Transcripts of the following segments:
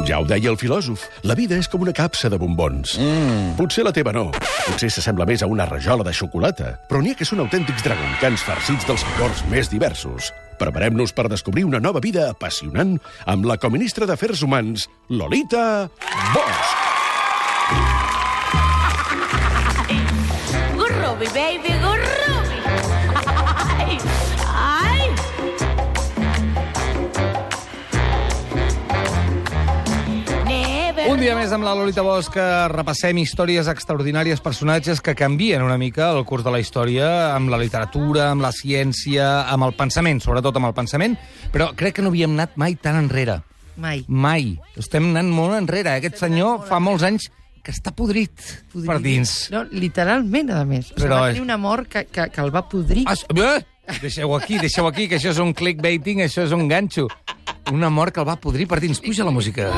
Ja ho deia el filòsof, la vida és com una capsa de bombons. Potser la teva no, potser s'assembla més a una rajola de xocolata, però n'hi ha que són autèntics dragoncans farcits dels licors més diversos. Preparem-nos per descobrir una nova vida apassionant amb la coministra d'Afers Humans, Lolita Bosch. Gurrubi, baby, gurrubi. Ai. Un dia més amb la Lolita Bosch que repassem històries extraordinàries, personatges que canvien una mica el curs de la història, amb la literatura, amb la ciència, amb el pensament, sobretot amb el pensament, però crec que no havíem anat mai tan enrere. Mai. Mai. Estem anant molt enrere. Aquest senyor fa molts anys que està podrit per dins. No, literalment, a més. O sigui, Però va tenir una mort que el va podrir. Deixeu aquí, que això és un clickbaiting, això és un ganxo. Una mort que el va podrir per dins. Puja la música.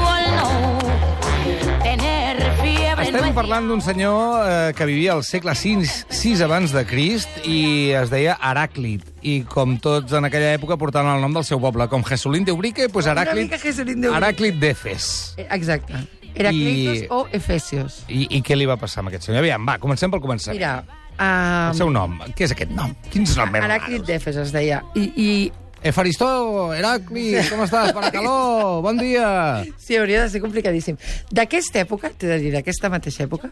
Estem parlant d'un senyor que vivia al segle VI abans de Crist i es deia Heràclit. I com tots en aquella època portaven el nom del seu poble. Com Jesulín de Ubrique, doncs Heràclit d'Efes. Exacte. Heraclitos o Efesios. I què li va passar amb aquest senyor? Aviam, va, comencem pel començament. Mira... El seu nom. Què és aquest nom? Quins noms més Heràclit raros? d'Efes es deia. I Efaristó, Heràclit, com estàs? Paracaló, bon dia. sí, hauria de ser complicadíssim. D'aquesta època, t'he de dir, d'aquesta mateixa època,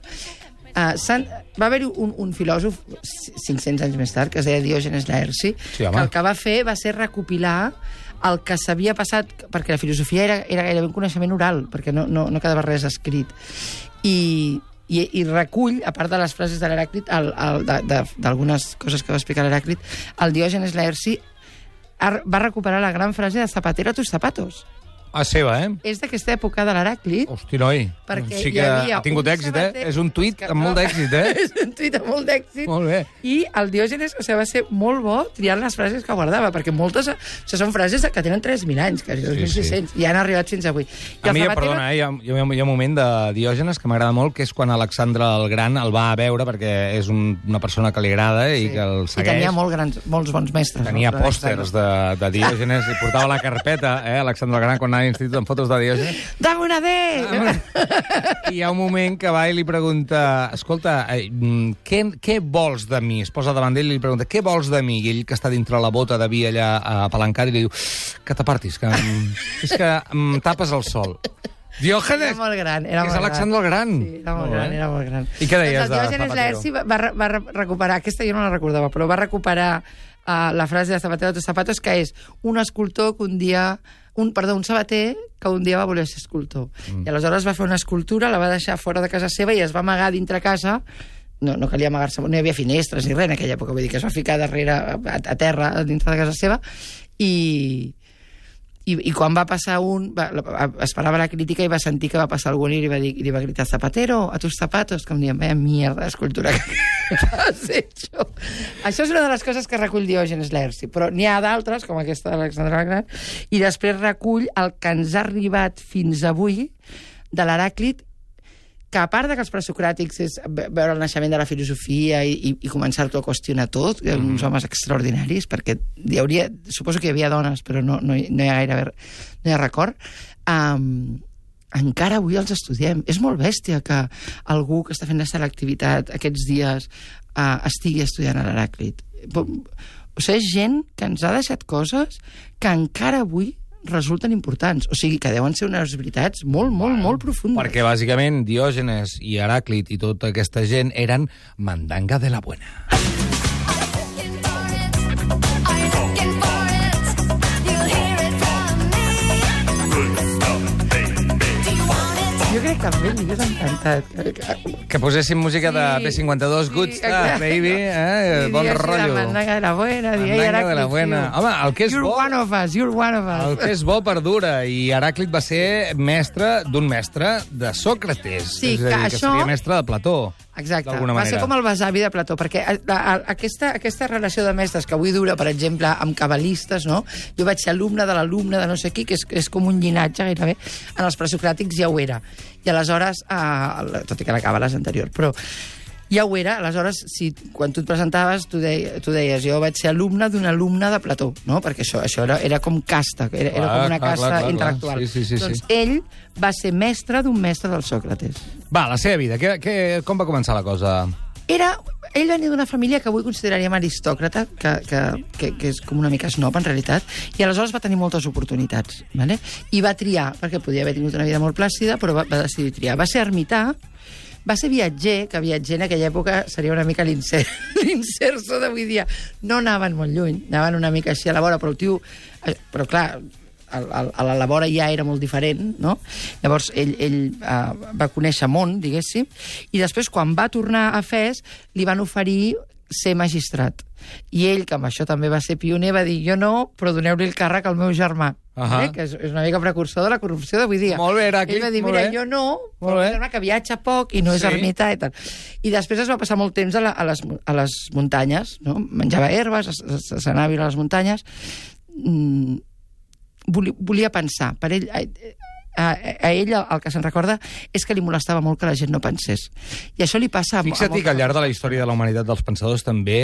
va haver-hi un filòsof 500 anys més tard, que es deia Diògenes Laerci, Sí, home. que el que va fer va ser recopilar el que s'havia passat, perquè la filosofia era gairebé un coneixement oral, perquè no quedava res escrit. I recull, a part de les frases de l'Heràclit, d'algunes coses que va explicar l'Heràclit, el Diògenes Laerci va recuperar la gran frase de zapatero a tus zapatos. A seva, És d'aquesta època de l'Heràclit. Hosti, noi. Perquè Sí hi que havia ha tingut un èxit, sabater- És un tuit amb molt d'èxit, És un tuit amb molt d'èxit. Molt bé. I el Diògenes, va ser molt bo triant les frases que guardava, perquè moltes són frases que tenen 3.000 anys, quasi 2.600, i han arribat fins avui. A mi, perdona, hi ha un moment de Diògenes que m'agrada molt, que és quan Alexandre el Gran el va a veure, perquè és una persona que li agrada i que el I segueix. tenia molts bons mestres. Tenia no? pòsters de Diògenes i portava la carpeta, Alexandre el Gran, quan anava a l'institut amb fotos de Diògenes. Dame una D! I hi ha un moment que va i li pregunta, escolta, què vols de mi? Es posa davant d'ell i li pregunta, què vols de mi? I ell, que està dintre la bota de vi allà apalancat, i li diu, que t'apartis, que és que em tapes el sol. Diògenes! Era molt gran. És Alexandre el Gran. Sí, era molt gran. I què deies doncs el Diògenes Laerci va recuperar, aquesta jo no la recordava, però va recuperar la frase de Zapatero a tus zapatos, que és un escultor que un sabater que un dia va voler ser escultor. I aleshores va fer una escultura, la va deixar fora de casa seva i es va amagar dintre casa. No calia amagar-se, no hi havia finestres ni res en aquella època, vull dir que es va ficar darrere, a terra, dintre de casa seva, i quan va passar esperava la crítica i va sentir que va passar algú i li va gritar Zapatero, a tus zapatos, com dient, vaya mierda d'escultura que has hecho. Això és una de les coses que recull Diògenes Laerci, però n'hi ha d'altres, com aquesta d'Alexandre el Gran, i després recull el que ens ha arribat fins avui de l'Heràclit, que a part que els presocràtics és veure el naixement de la filosofia i començar-ho a qüestionar tot, uns homes extraordinaris, perquè suposo que hi havia dones, però no hi ha record, encara avui els estudiem. És molt bèstia que algú que està fent la selectivitat aquests dies estigui estudiant l'Heràclit. O sigui, és gent que ens ha deixat coses que encara avui resulten importants. O sigui, que deuen ser unes veritats molt, molt, molt profundes. Perquè, bàsicament, Diògenes i Heràclit i tota aquesta gent eren mandanga de la buena. Jo crec que amb ell li hagués encantat. Que poséssim música de B52, Good Stuff, baby, bon rotllo. Mandanga de la buena. Mandanga de la buena. Home, el que és bo... You're one of us. El que és bo perdura, i Heràclit va ser mestre d'un mestre de Sòcrates. Sí, és a dir, que seria mestre de Plató. Exacte, d'alguna va ser manera. com el besavi de Plató, perquè aquesta relació de mestres que avui dura, per exemple, amb cabalistes, no? Jo vaig ser alumne de l'alumne de no sé qui, que és com un llinatge gairebé, en els presocràtics ja ho era. I aleshores, tot i que la càbala és anterior, però Ja ho era, aleshores, quan tu et presentaves, tu deies, jo vaig ser alumne d'un alumne de Plató, no? Perquè això era com casta, era com una casta intel·lectual. Sí. Doncs ell va ser mestre d'un mestre del Sòcrates. Va, la seva vida, com va començar la cosa? Ell venia d'una família que avui consideraríem aristòcrata, que és com una mica snob, en realitat, i aleshores va tenir moltes oportunitats, ¿vale? I va triar, perquè podia haver tingut una vida molt plàcida, però va decidir triar. Va ser ermità, va ser viatger, que viatger en aquella època seria una mica l'inserso d'avui dia. No anaven molt lluny, anaven una mica així a la vora, però el tio... Però clar, a la vora ja era molt diferent, no? Llavors ell va conèixer món, diguéssim, i després, quan va tornar a Fes, li van oferir ser magistrat. I ell, que amb això també va ser pioner, va dir, jo no, però doneu-li el càrrec al meu germà, que és una mica precursor de la corrupció d'avui dia. Molt bé, Heràclit, ell va dir, mira, jo no, però el germà que viatja poc i no és ermità i tal. I després es va passar molt temps a les muntanyes, no? Menjava herbes, s'anava a viure a les muntanyes. Volia pensar. Per ell, a ell el que se'n recorda és que li molestava molt que la gent no pensés. I això li passa... Fixa't que al llarg de la història de la humanitat dels pensadors també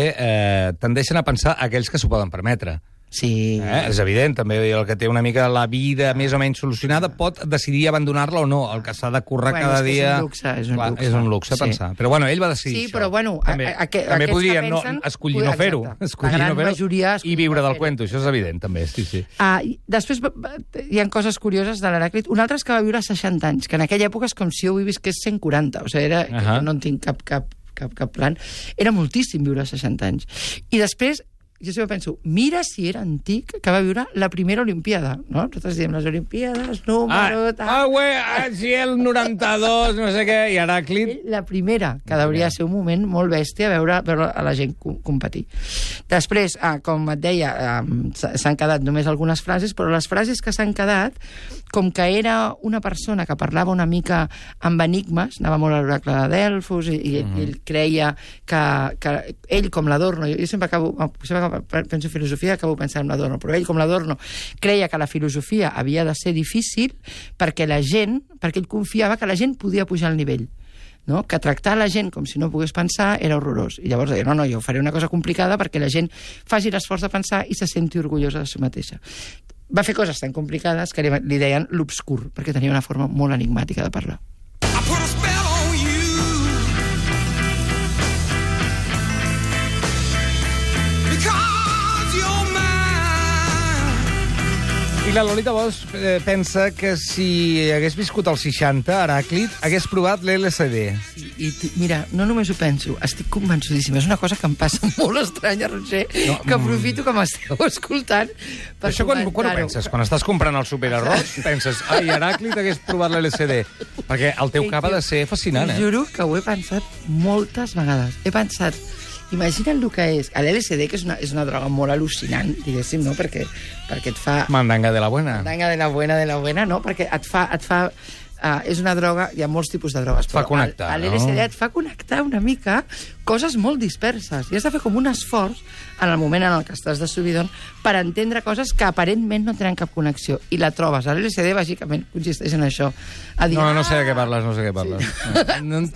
tendeixen a pensar aquells que s'ho poden permetre. Sí. És evident, també el que té una mica la vida més o menys solucionada pot decidir abandonar-la o no. El que s'ha de currar cada dia... És un luxe. És un luxe pensar. Però bueno, ell va decidir això. Sí, però bueno... També podria escollir no fer-ho. La gran majoria... I viure del cuento, això és evident, també. Sí. Després hi ha coses curioses de l'Heràclit. Un altre és que va viure 60 anys, que en aquella època és com si jo ho visqués 140. O sigui, no en tinc cap plan. Era moltíssim viure 60 anys. I després... Jo sempre penso, mira si era antic que va viure la primera Olimpiada, no? Nosaltres diem les Olimpiades, número... Si el 92, no sé què, i Heràclit... La primera, que hauria de ser un moment molt bèstia veure a la gent competir. Després, com et deia, s'han quedat només algunes frases, però les frases que s'han quedat, com que era una persona que parlava una mica amb enigmes, anava molt a l'oracle de Delfos, i ell creia que ell, com l'Adorno, jo sempre penso en filosofia, acabo pensant en l'Adorno, però ell, com l'Adorno, creia que la filosofia havia de ser difícil perquè ell confiava que la gent podia pujar al nivell. No? Que tractar la gent com si no pogués pensar era horrorós. I llavors deia, no, jo faré una cosa complicada perquè la gent faci l'esforç de pensar i se senti orgullosa de si mateixa. Va fer coses tan complicades que li deien l'obscur, perquè tenia una forma molt enigmàtica de parlar. I la Lolita Bosch pensa que si hagués viscut als 60, Heràclit, hagués provat l'LSD. I mira, no només ho penso, estic convençudíssima. És una cosa que em passa molt estranya, Roger, que aprofito que m'esteu escoltant per això quan ho penses? Quan estàs comprant el superarròs, penses, ai, Heràclit hagués provat l'LSD. Perquè el teu cap ha de ser fascinant, Juro que ho he pensat moltes vegades. He pensat... Imagina't el que és. L'LSD, que és una droga molt al·lucinant, diguéssim, no? Perquè et fa... Mandanga de la buena. Mandanga de la buena, no? Perquè et fa és una droga... Hi ha molts tipus de drogues. Fa connectar, no? L'LSD et fa connectar una mica coses molt disperses. I has de fer com un esforç en el moment en el que estàs de subidon per entendre coses que aparentment no tenen cap connexió. I la trobes. L'LSD, bàsicament, consisteix en això. No sé de què parles, no sé què parles.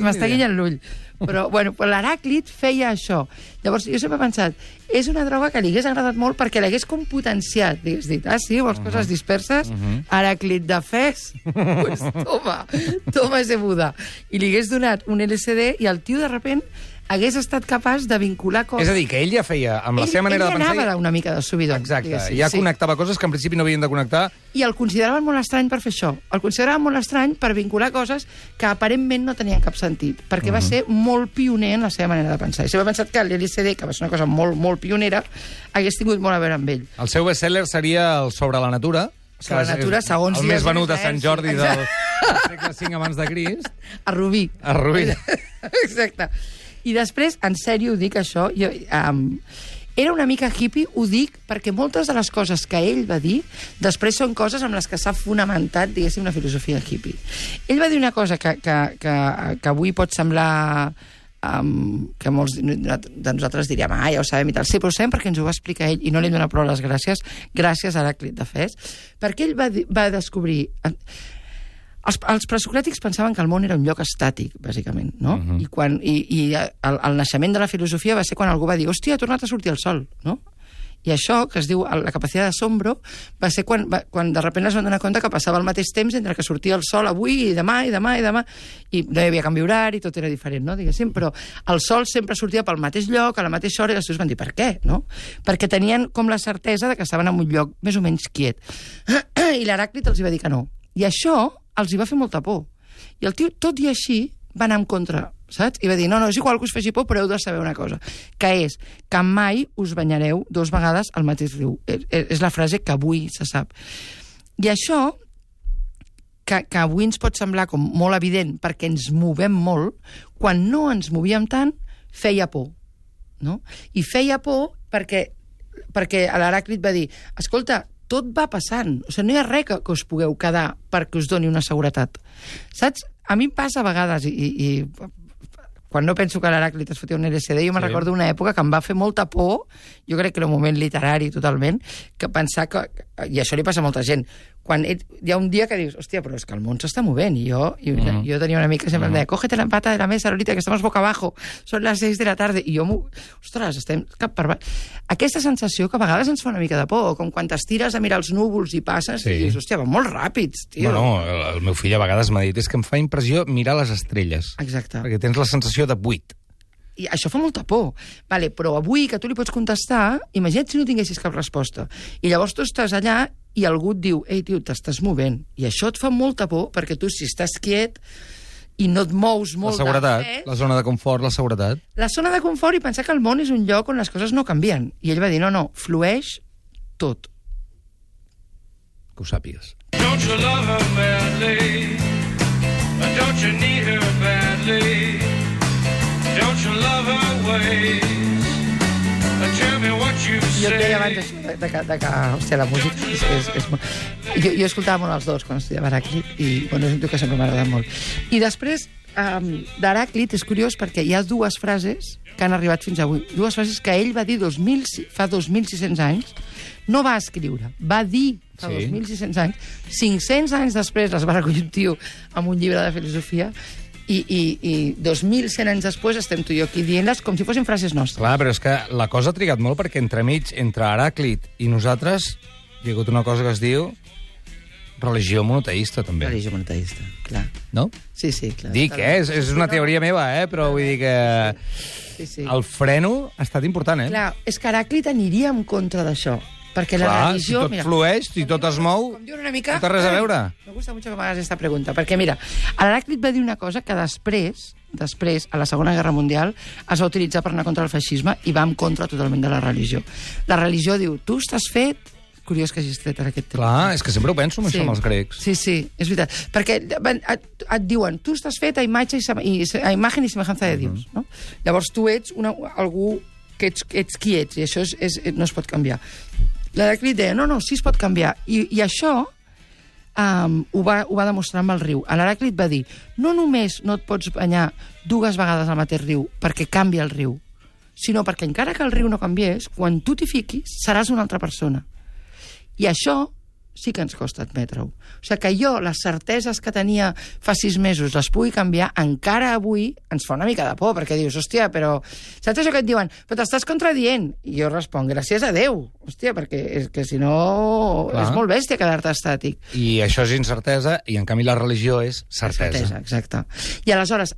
M'està guinyant l'ull. Però l'Heràclit feia això. Llavors, jo sempre he pensat, és una droga que li hagués agradat molt perquè l'hagués com potenciat. Digues dit, sí, vols coses disperses? Heràclit de Fes? Pues toma ese Buda. I li hagués donat un LSD i el tio, de repent, hagués estat capaç de vincular coses... És a dir, que ell ja feia, amb la seva manera de pensar... Ell anava una mica de subidon. Exacte, ja connectava coses que en principi no havien de connectar. I el consideraven molt estrany per fer això. El consideraven molt estrany per vincular coses que aparentment no tenien cap sentit, perquè va ser molt pioner en la seva manera de pensar. I sempre he pensat que l'LSD, que va ser una cosa molt, molt pionera, hagués tingut molt a veure amb ell. El seu best-seller seria el Sobre la natura, Sobre la natura, segons el més venut a Sant Jordi del segle V abans de Crist. A Rubí. Exacte. I després, en sèrio, ho dic això, era una mica hippie, ho dic perquè moltes de les coses que ell va dir després són coses amb les que s'ha fonamentat, diguéssim, una filosofia hippie. Ell va dir una cosa que avui pot semblar que molts de nosaltres diríem, ja ho sabem i tal. Sí, però ho sabem perquè ens ho va explicar ell i no li hem donat prou les gràcies a Heràclit de Fes, perquè ell va descobrir... Els presocràtics pensaven que el món era un lloc estàtic, bàsicament, no? I el naixement de la filosofia va ser quan algú va dir hòstia, ha tornat a sortir el sol, no? I això, que es diu la capacitat d'asombro, va ser quan de sobte es van donar compte que passava el mateix temps entre que sortia el sol avui i demà, i no hi havia canvi horari, tot era diferent, no? Diguéssim, però el sol sempre sortia pel mateix lloc, a la mateixa hora, i els seus van dir, per què, no? Perquè tenien com la certesa de que estaven en un lloc més o menys quiet. I l'Heràclit els va dir que no. I això els hi va fer molta por. I el tio, tot i així, va anar en contra, saps? I va dir, no, és igual que us faci por, però heu de saber una cosa, que és que mai us banyareu 2 vegades al mateix riu. És la frase que avui se sap. I això, que avui ens pot semblar com molt evident, perquè ens movem molt, quan no ens movíem tant, feia por, no? I feia por perquè l'Heràclit va dir, escolta, tot va passant, o sigui, no hi ha res que us pugueu quedar perquè us doni una seguretat. Saps? A mi em passa a vegades, i quan no penso que l'Heràclit es fotia un LSD, jo me'n recordo una època que em va fer molta por, jo crec que era un moment literari totalment, que pensar que, i això li passa a molta gent, quan hi ha un dia que dius, hòstia, però és que el món s'està movent, i jo tenia una amiga que sempre em deia, cógete la pata de la mesa, Lolita, que estamos boca abajo, són les 6 de la tarda, i jo, ostres, estem cap per baix. Aquesta sensació que a vegades ens fa una mica de por, com quan t'estires a mirar els núvols i passes, i dius, hòstia, van molt ràpids, tio. Bueno, el meu fill a vegades m'ha dit, és que em fa impressió mirar les estrelles. Exacte. Perquè tens la sensació de buit. I això fa molta por. Vale, però avui que tu li pots contestar, imagina't si no tinguessis cap resposta. I llavors tu estàs allà i algú et diu, ei, tio, t'estàs movent. I això et fa molta por, perquè tu, si estàs quiet i no et mous molt... La seguretat, la zona de confort, la seguretat. La zona de confort i pensar que el món és un lloc on les coses no canvien. I ell va dir, no, flueix tot. Que ho sàpigues. Don't you love her badly? Don't you need her badly? Don't you love her ways? Tell me what you say. Jo et deia abans de que hòstia, la música és molt... Jo escoltava molt els dos quan estudiava Heràclit i, bueno, és un tio que sempre m'ha agradat molt. I després, d'Heràclit és curiós perquè hi ha 2 frases que han arribat fins avui. 2 frases que ell va dir fa 2.600 anys, no va escriure, va dir fa 2.600 anys, 500 anys després les va recollir un tio amb un llibre de filosofia, i 2.100 anys després estem tu i jo aquí dient-les com si fossin frases nostres. Clar, però és que la cosa ha trigat molt perquè entremig, entre Heràclit i nosaltres, hi ha hagut una cosa que es diu religió monoteista, també. Religió monoteista, clar. No? Sí, clar. Dic, és una teoria meva, però vull dir que el freno ha estat important, Clar, és que Heràclit aniria en contra d'això. Perquè la religió... si tot flueix, si tot es mou, no té res a veure. Me gusta mucho que m'hagas esta pregunta, perquè mira, l'Heràclit va dir una cosa que després, a la Segona Guerra Mundial, es va utilitzar per anar contra el feixisme i va en contra totalment de la religió. La religió diu, tu estàs fet... Curiós que hagis tret ara aquest tema. Clar, és que sempre ho penso amb això amb els grecs. Sí, és veritat. Perquè et diuen, tu estàs fet a imatge i semejança de Dios, no? Llavors tu ets algú que ets qui ets, i això no es pot canviar. L'Heràclit deia, no, sí es pot canviar. I això ho va demostrar amb el riu. L'Heràclit va dir, no només no et pots banyar 2 vegades al mateix riu perquè canvia el riu, sinó perquè encara que el riu no canviés, quan tu t'hi fiquis, seràs una altra persona. I això sí que ens costa admetre-ho. O sigui que jo, les certeses que tenia fa 6 mesos, les pugui canviar, encara avui ens fa una mica de por, perquè dius, hòstia, però... Saps això que et diuen? Però t'estàs contradient. I jo responc, gràcies a Déu. Hòstia, perquè és que si no... Clar. És molt bèstia quedar-te estàtic. I això és incertesa, i en canvi la religió és certesa. Exacte. I aleshores,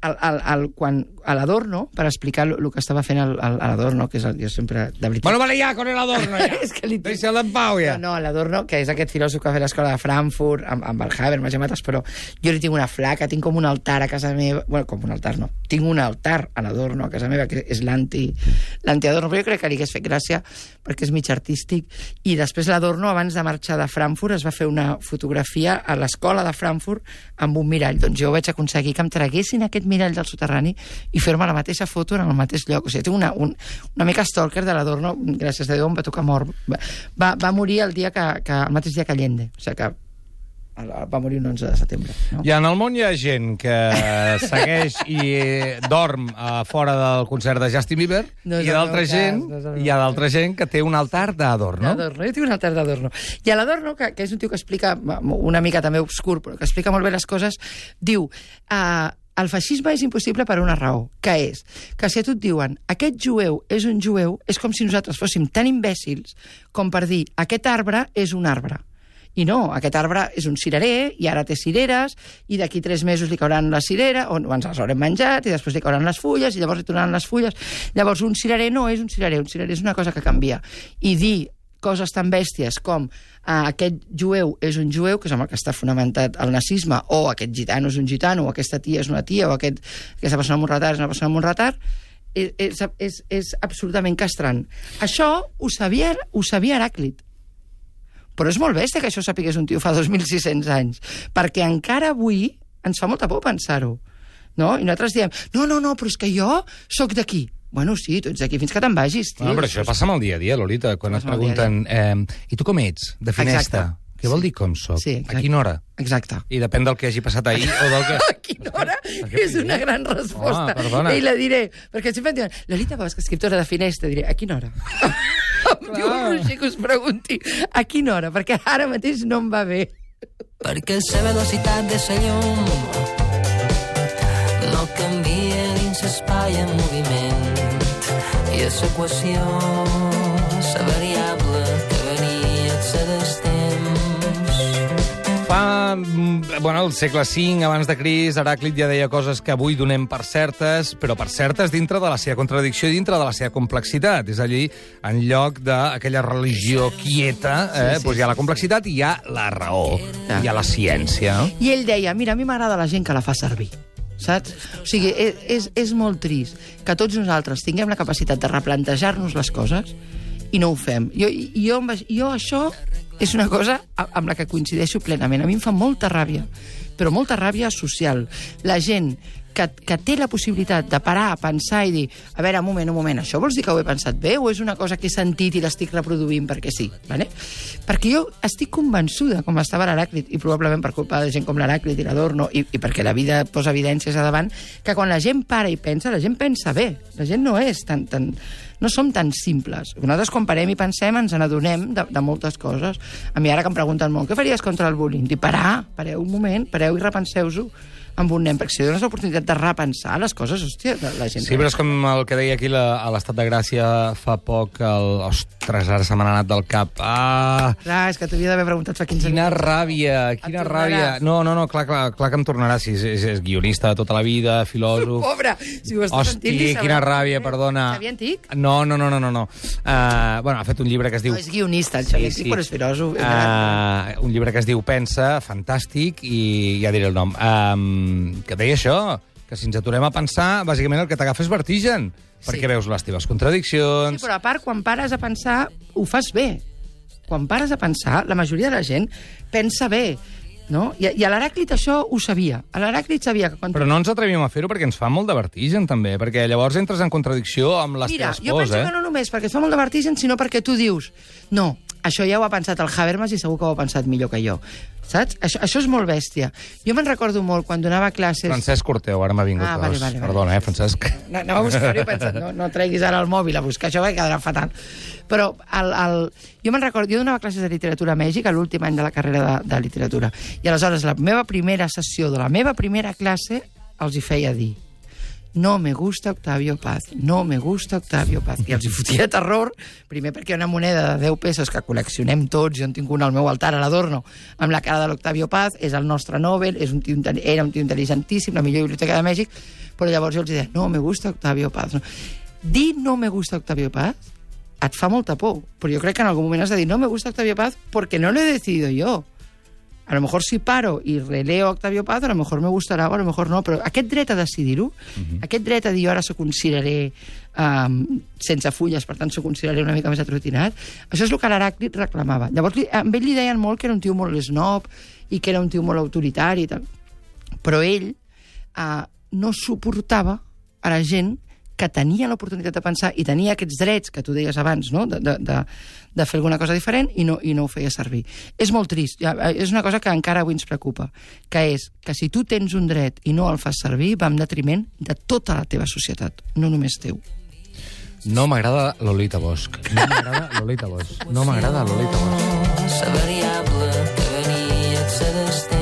quan a l'Adorno, per explicar el que estava fent l'Adorno, que és jo sempre... De veritat... Bueno, vale ya, con el Adorno, ya. És que deixa'l en pau, ja. No, l'Adorno, que és aquest filòsof que va fer l'escola de Frankfurt, amb el Habermas i mates, però jo li tinc una flaca, tinc com un altar a casa meva... Bueno, com un altar, no. Tinc un altar a l'Adorno a casa meva, que és l'anti-Adorno, però jo crec que li hagués fet gràcia perquè és mig artístic. I després l'Adorno, abans de marxar de Frankfurt, es va fer una fotografia a l'escola de Frankfurt amb un mirall. Doncs jo vaig aconseguir que em traguessin aquest mirall del soterrani i fer-me la mateixa foto en el mateix lloc. O sigui, tinc una mica stalker de l'Adorno, gràcies a Déu em va tocar mort. Va morir el mateix dia que Allende. O sigui que va morir un 11 de setembre. No? I en el món hi ha gent que segueix i dorm fora del concert de Justin Bieber, No és i el d'altra meu gent, cas, no és el meu hi ha d'altra gent que té un altar d'Adorno. Adorno, jo tinc un altar d'Adorno. I a l'Adorno, que és un tio que explica, una mica també obscur, però que explica molt bé les coses, diu... el feixisme és impossible per una raó, que és que si a tu et diuen aquest jueu, és com si nosaltres fóssim tan imbècils com per dir aquest arbre és un arbre. I no, aquest arbre és un cirerer, i ara té cireres, i d'aquí 3 mesos li cauran la cirera, o ens les haurem menjat, i després li cauran les fulles, i llavors li tornaran les fulles. Llavors, un cirerer no és un cirerer és una cosa que canvia. I dir coses tan bèsties com aquest jueu és un jueu, que és amb el que està fonamentat el nazisme, o aquest gitano és un gitano, o aquesta tia és una tia, o aquesta persona amb un retard és una persona amb un retard, és absolutament castrant. Això ho sabia Heràclit. Però és molt bèstia que això sapigués un tio fa 2.600 anys, perquè encara avui ens fa molta por pensar-ho. No? I nosaltres diem, no, però és que jo sóc d'aquí. Bueno, sí, tu ets d'aquí fins que te'n vagis, tio. No, però això passa amb el dia a dia, Lolita, quan et pregunten i tu com ets, de Finesta? Què vol dir com soc? Sí, a quina hora? Exacte. I depèn del que hagi passat ahir o del que... A quina hora és una gran resposta. Perdona. I la diré, perquè sempre em diuen, Lolita Bosch, escriptora de Finesta, diré, a quina hora? Em diu un Roger que us pregunti, a quina hora? Perquè ara mateix no em va bé. Perquè la velocitat de la llum no canvia dins l'espai en moviment i a l'equació la variable que varia dels temps. Bueno, al segle V, abans de Crist, Heràclit ja deia coses que avui donem per certes, però per certes dintre de la seva contradicció i dintre de la seva complexitat. És allí, en lloc d'aquella religió quieta, doncs hi ha la complexitat i hi ha la raó, hi ha la ciència. I ell deia, mira, a mi m'agrada la gent que la fa servir. Saps? O sigui, és molt trist que tots nosaltres tinguem la capacitat de replantejar-nos les coses i no ho fem. Jo això és una cosa amb la que coincideixo plenament. A mi em fa molta ràbia, però molta ràbia social. La gent que té la possibilitat de parar a pensar i dir, a veure, un moment, això vols dir que ho he pensat bé o és una cosa que he sentit i l'estic reproduint perquè sí? Vale? Perquè jo estic convençuda, com estava l'Heràclit, i probablement per culpa de gent com l'Heràclit i l'Adorno, i perquè la vida posa evidències a davant, que quan la gent para i pensa, la gent pensa bé. La gent no és no som tan simples. Nosaltres quan parem i pensem ens n'adonem de moltes coses. A mi ara que em pregunten molt, què faries contra el bullying? Dic, pareu un moment, pareu i repenseu-ho amb un nen, perquè si dones l'oportunitat de repensar les coses, hòstia, la gent... Sí, però és com el que deia aquí a l'Estat de Gràcia fa poc, ostres, ara se m'ha anat del cap. Clar, és que t'havia d'haver preguntat fa 15 Quina minuts. ràbia, quina ràbia. No, clar que em tornarà, si és guionista de tota la vida, filòsof... Pobre, si ho estàs sentint... Hosti, quina ràbia, perdona. Xavier Antic? No. Bueno, ha fet un llibre que es diu... No, és guionista, el Xavier Antic, però és filòsof. Un llibre que es diu Pensa, fantàstic, i ja diré el nom. Que deia això, que si ens aturem a pensar, bàsicament el que t'agafa és vertigen, perquè veus les teves contradiccions... Sí, però a part, quan pares a pensar, ho fas bé. Quan pares a pensar, la majoria de la gent pensa bé, no? I a l'Heràclit això ho sabia. A l'Heràclit sabia que quan... Però no ens atrevíem a fer-ho perquè ens fa molt de vertigen, també, perquè llavors entres en contradicció amb les teves jo pors, penso que no només perquè et fa molt de vertigen, sinó perquè tu dius, no, això ja ho ha pensat el Habermas i segur que ho ha pensat millor que jo. Saps? Això és molt bèstia. Jo me'n recordo molt quan donava classes... Francesc Corteu, ara m'ha vingut vale. Perdona, Francesc. No a buscar-ho, he pensat, no treguis ara el mòbil a buscar això, perquè quedarà fatal. Però jo me'n recordo, jo donava classes de literatura a Mèxic a l'últim any de la carrera de literatura. I aleshores la meva primera sessió de la meva primera classe els hi feia dir: no me gusta Octavio Paz, no me gusta Octavio Paz. I els hi fotia terror, primer perquè hi ha una moneda de 10 pesos que col·leccionem tots, jo en tinc una al meu altar a l'Adorno, amb la cara de l'Octavio Paz, és el nostre Nobel, era un tio intel·ligentíssim, la millor biblioteca de Mèxic, però llavors jo els deia, no me gusta Octavio Paz. No. Dir no me gusta Octavio Paz et fa molta por, però jo crec que en algun moment has de dir no me gusta Octavio Paz porque no lo he decidido yo. A lo mejor si paro i releo Octavio Paz, a lo mejor me gustarà o a lo mejor no, però aquest dret a decidir-ho, aquest dret a dir jo ara s'ho consideraré sense fulles, per tant s'ho consideraré una mica més atrotinat, això és el que l'Heràclit reclamava. Llavors amb ell li deien molt que era un tio molt snob i que era un tio molt autoritari i tal. Però ell no suportava a la gent que tenia l'oportunitat de pensar i tenia aquests drets que tu deies abans, no? de fer alguna cosa diferent i no ho feia servir. És molt trist, és una cosa que encara avui ens preocupa, que és que si tu tens un dret i no el fas servir, va en detriment de tota la teva societat, no només teu. No m'agrada Lolita Bosch. No m'agrada Lolita Bosch. No m'agrada Lolita Bosch. La variable que venia a ser d'estem.